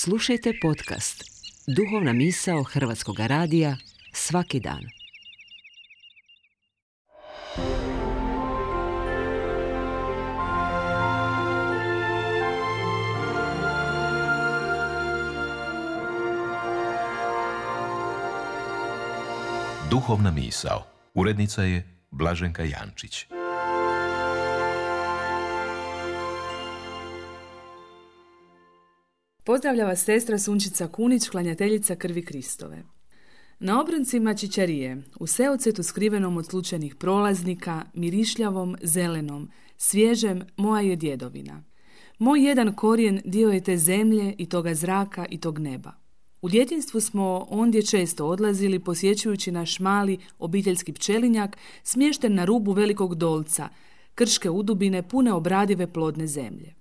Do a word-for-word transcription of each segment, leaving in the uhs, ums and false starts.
Slušajte podcast Duhovna misao Hrvatskog radija svaki dan. Duhovna misao. Urednica je Blaženka Jančić. Pozdravlja vas sestra Sunčica Kunić, klanjateljica krvi Kristove. Na obroncima čičarije, u seocetu skrivenom od slučajnih prolaznika, mirišljavom, zelenom, svježem, moja je djedovina. Moj jedan korijen dio je te zemlje i toga zraka i tog neba. U djetinjstvu smo ondje često odlazili posjećujući naš mali obiteljski pčelinjak smješten na rubu velikog dolca, krške udubine pune obradive plodne zemlje.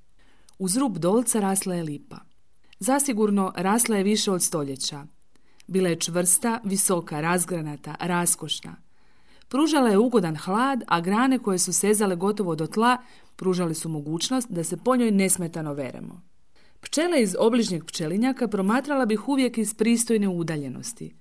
Uz rub dolca rasla je lipa. Zasigurno rasla je više od stoljeća. Bila je čvrsta, visoka, razgranata, raskošna. Pružala je ugodan hlad, a grane koje su sezale gotovo do tla pružale su mogućnost da se po njoj nesmetano veremo. Pčele iz obližnjeg pčelinjaka promatrala bih uvijek iz pristojne udaljenosti.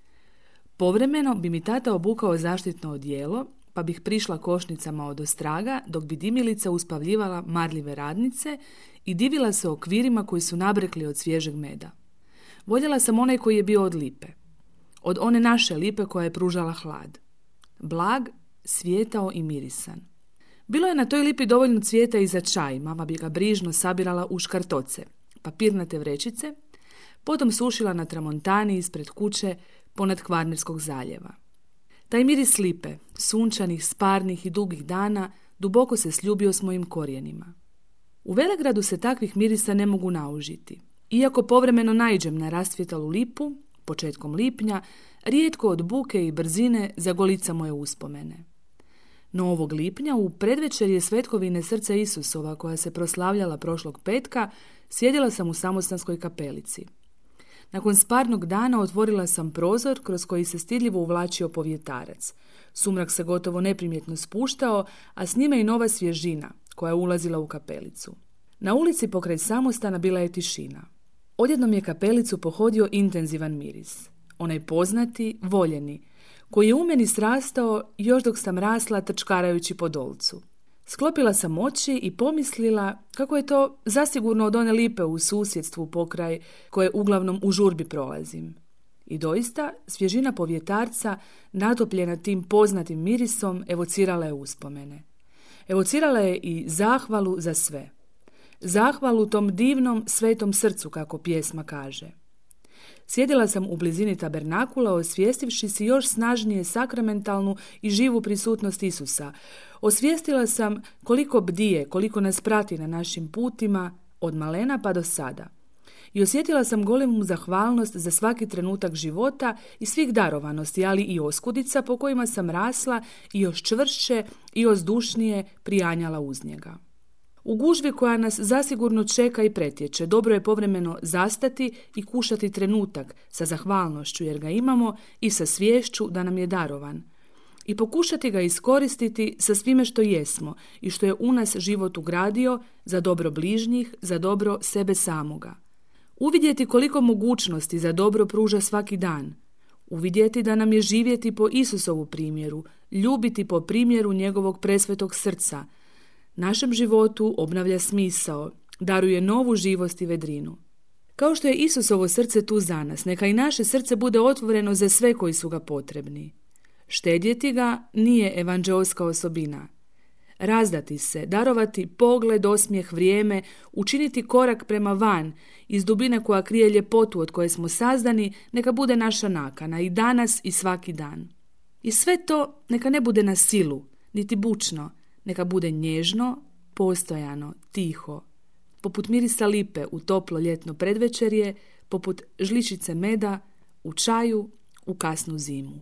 Povremeno bi mi tata obukao zaštitno odijelo, pa bih prišla košnicama od ostraga, dok bi dimilica uspavljivala marljive radnice i divila se okvirima koji su nabrekli od svježeg meda. Voljela sam onaj koji je bio od lipe. Od one naše lipe koja je pružala hlad. Blag, svijetao i mirisan. Bilo je na toj lipi dovoljno cvijeta i za čaj, mama bi ga brižno sabirala u škartoce, papirnate vrećice, potom sušila na tramontani ispred kuće ponad Kvarnerskog zaljeva. Taj miris lipe, sunčanih, sparnih i dugih dana, duboko se sljubio s mojim korijenima. U Velegradu se takvih mirisa ne mogu naužiti. Iako povremeno naiđem na rastvjetalu lipu, početkom lipnja, rijetko od buke i brzine zagolica moje uspomene. No ovog lipnja, u predvečerje svetkovine Srca Isusova koja se proslavljala prošlog petka, sjedila sam u samostanskoj kapelici. Nakon sparnog dana otvorila sam prozor kroz koji se stidljivo uvlačio povjetarac. Sumrak se gotovo neprimjetno spuštao, a s njime i nova svježina koja je ulazila u kapelicu. Na ulici pokraj samostana bila je tišina. Odjednom je kapelicu pohodio intenzivan miris. Onaj poznati, voljeni, koji je u meni srastao još dok sam rasla trčkarajući po dolcu. Sklopila sam oči i pomislila kako je to zasigurno od one lipe u susjedstvu pokraj koje uglavnom u žurbi prolazim. I doista, svježina povjetarca, natopljena tim poznatim mirisom, evocirala je uspomene. Evocirala je i zahvalu za sve. Zahvalu tom divnom svetom srcu, kako pjesma kaže. Sjedila sam u blizini tabernakula, osvijestivši si još snažnije sakramentalnu i živu prisutnost Isusa. Osvijestila sam koliko bdije, koliko nas prati na našim putima, od malena pa do sada. I osjetila sam golemu zahvalnost za svaki trenutak života i svih darovanosti, ali i oskudica po kojima sam rasla i još čvršće i ozdušnije prijanjala uz njega. U gužvi koja nas zasigurno čeka i pretječe, dobro je povremeno zastati i kušati trenutak sa zahvalnošću jer ga imamo i sa sviješću da nam je darovan. I pokušati ga iskoristiti sa svime što jesmo i što je u nas život ugradio za dobro bližnjih, za dobro sebe samoga. Uvidjeti koliko mogućnosti za dobro pruža svaki dan. Uvidjeti da nam je živjeti po Isusovu primjeru, ljubiti po primjeru njegovog presvetog srca. Našem životu obnavlja smisao, daruje novu živost i vedrinu. Kao što je Isusovo srce tu za nas, neka i naše srce bude otvoreno za sve koji su ga potrebni. Štedjeti ga nije evanđeoska osobina. Razdati se, darovati pogled, osmijeh, vrijeme, učiniti korak prema van, iz dubine koja krije ljepotu od koje smo sazdani, neka bude naša nakana i danas i svaki dan. I sve to neka ne bude na silu, niti bučno, neka bude nježno, postojano, tiho, poput mirisa lipe u toplo ljetno predvečerje, poput žličice meda u čaju u kasnu zimu.